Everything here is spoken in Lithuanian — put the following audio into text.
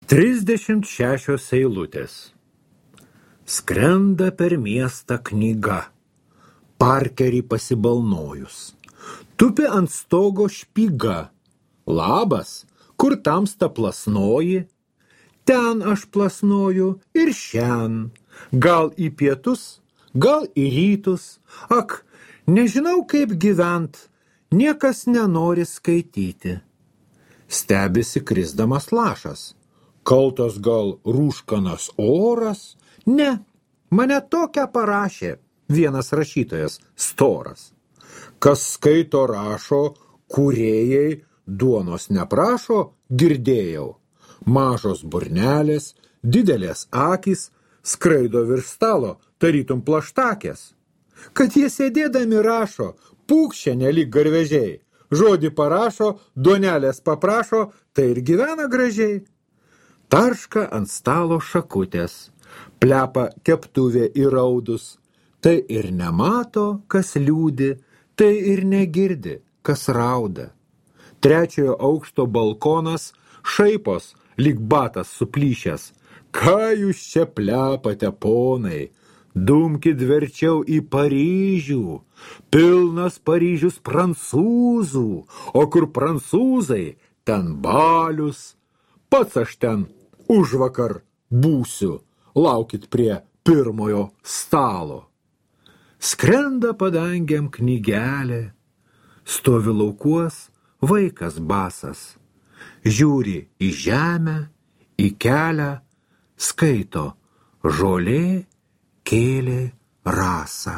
36 eilutės. Skrenda per miestą knyga, parkerį pasibalnojus. Tupi ant stogo špyga. Labas, kur tamsta plasnoji? Ten aš plasnoju ir šen. Gal į pietus, gal į rytus. Ak, nežinau kaip gyvent, niekas nenori skaityti. Stebisi krisdamas lašas. Kaltas gal rūškanas oras? Ne, mane tokią parašė vienas rašytojas storas. Kas skaito rašo, kūrėjai duonos neprašo, girdėjau. Mažos burnelės, didelės akys, skraido virš stalo, tarytum plaštakės. Kad jie sėdėdami rašo, pūkščia nelyg garvežiai. Žodį parašo, duonelės paprašo, tai ir gyvena gražiai. Tarška ant stalo šakutės, plepa keptuvė įraudus. Tai ir nemato, kas liūdi, tai ir negirdi, kas rauda. 3 aukšto balkonas šaipos, lyg batas suplyšęs. Ką jūs čia plepate, ponai? Dumkit verčiau į Paryžių. Pilnas Paryžius prancūzų, o kur prancūzai, ten balius. Pats aš ten užvakar būsiu, laukit prie pirmojo stalo. Skrenda padangiam knygelė, stovi laukuos vaikas basas. Žiūri į žemę, į kelią, skaito žolė kėlė rasą.